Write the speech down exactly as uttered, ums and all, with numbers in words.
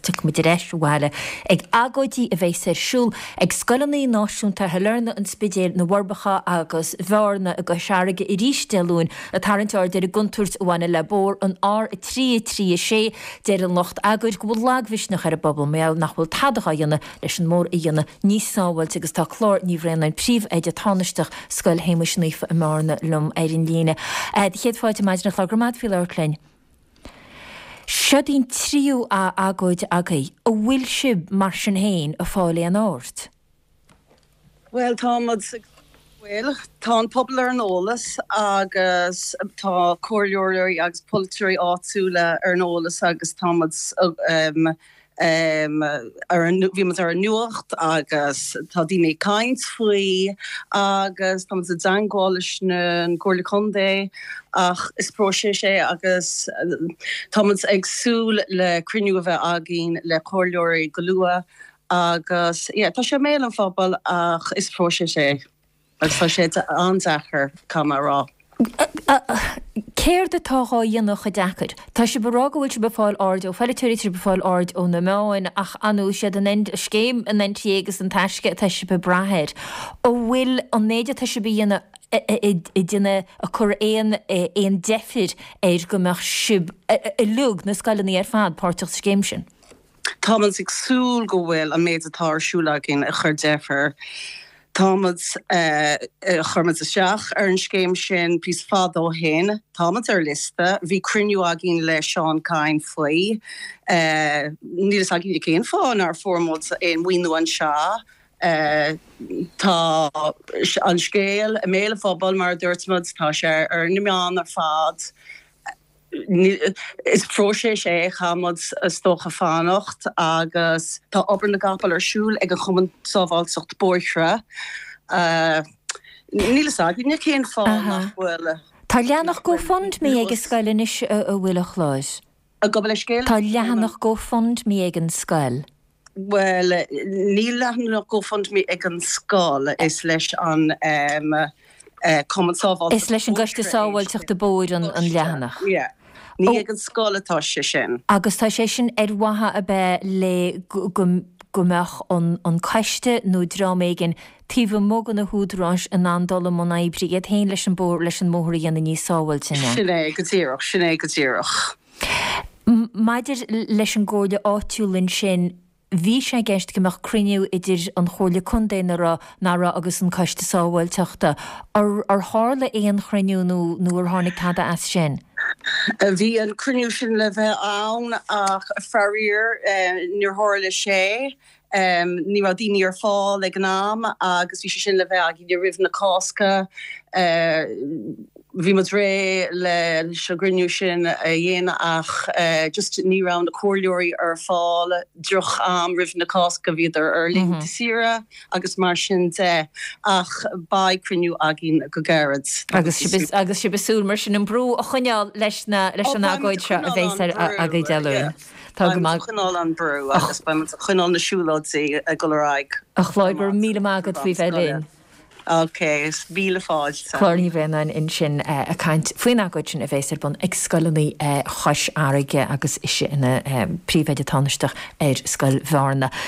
tiocfaidh muid ar ais abhaile ag agóidí a bheas ar siúl ag scoileanna náisiúnta Shailearna, an Spidéil, na bhForbacha agus Bhearna i gCois Fharraige arís Dé Luain ag tarraingt aird ar an gcontúirt a bhaineann le bóthar an R a trí a trí a sé. Deir an lucht agóide go bhfuil lagmhisneach ar an bpobal mar gheall nach bhfuil tada á dhéanamh leis an mbóthar a dhéanamh níos sábháilte agus tá Clár Ní Bhraonáin, Príomhoide Tánaisteach Scoil Shéamuis Naofa i mBearna liom ar an líne. Do chéad fáilte maidin a Chlár, go raibh maith agat faoi labhairt linn. Seod í an tríú agóid agaibh. An bhfuil sibh, mar sin féin, ag fáil aon aird? Bhuel, tá muid ag bhuel, tá an pobal ar an eolas agus tá comhairleoirí agus polaiteoirí áitiúla ar an eolas agus tá muid ar an bhí muid ar an nuacht agus tá daoine ag caint faoi agus tá muid i dteagmháil leis an gComhairle Contae ach is próiseas é agus tá muid ag súil le cruinniú a bheith againn le comhairleoirí go luath agus yeah, tá sé i mbéal an phobail ach is próiseas é agus tá sé an-deacair caithfidh mé a rá. Céard atá dhá dhéanamh chomh deacair? Tá sibh ag rá go bhfuil sibh ag fáil aird ó pholaiteoirí, tá sibh ag fáil aird ó na meáin, ach ar ndóigh siad an scéim an N T A agus an Taisce atá sibh ag brath air. An bhfuil an méid atá sibh a dhéanamh ag déanamh ag cur aon aon deifir air go mbeadh sibh uilig, na scoileanna ar fad, páirteach sa scéim sin? Táimid ag súil go bhfuil an méid atá ar siúl againn ag cur deifir. Táimid chuir muid isteach ar an scéim sin píosa fada ó shin, Táimid ar liosta, bhí cruinniú againn le Seán Kyne faoi. Níl a fhios againn cén fáth nár fuair muid aon mhaoiniú anseo. Tá an scéal i mbéal an phobail mar a dúirt muid, tá sé ar na meáin ar fad. Is próiseas é caithfimid is dócha fanacht agus tá obair na gcapall ar siúl ag an Chumann Sábháilteacht Bóithre. Níl a fhios againne cén fáth nach bhfuil. Tá leathanach GoFundMe ag an scoil anois a bhfuil a Chláir. Gabh mo leithscéal? Tá leathanach GoFundMe ag an scoil. Well, níl leathanach GoFundMe ag an scoil is leis an Cumann Sábháilteachta. Is leis an gCoiste Sábháilteachta Bóthair an leathanach. Yeah. Ní ag an scoil atá sé sin. Agus tá sé sin ar mhaithe a bheith le go mbeadh an coiste nó dream éigin taobh amuigh de na húdaráis in ann dul i mbun oibre iad féin leis an bóthar leis an mbóthar a dhéanamh níos sábháilte. Sin é go díreach, sin é go díreach. Maidir leis an gcomhairle áitiúil ansin, bhí sé i gceist go mbeadh cruinniú idir an Chomhairle Contae na raibh na raibh agus an Coiste Sábháilteachta. Ar tharla aon chruinniú nó nó ar tháinig tada as sin? Bhí an cruinniú sin le bheith ann ach faraor níor tharla sé. Ní raibh daoine ar fáil ag an am agus bhí sé sin le bheith againn roimh na Cásca. Bhí muid réidh leis an gcruinniú sin a dhéanamh ach just ní raibh na comhairleoirí ar fáil droch am roimh na Cásca bhíodar ar laethanta saoire agus mar sin de ach beidh cruinniú againn go gairid. Agus agus sibh ag súil mar sin an brú a choinneáil leis na leis an agóid seo a bheas ar agaibh Dé Luain. Tá go maith. Choinneáil an brú agus beidh choinneáil na siúlóidí ag dul ar aghaidh. A Chláir go raibh míle maith agat faoi bheith linn. Ok, míle fáilte. Clár Ní Bhraonáin ansin ag caint faoin agóid sin a bheas ar bun ag scoileanna Chois Fharraige agus ise ina príomhoide tánaisteach ar Scoil Bhearna.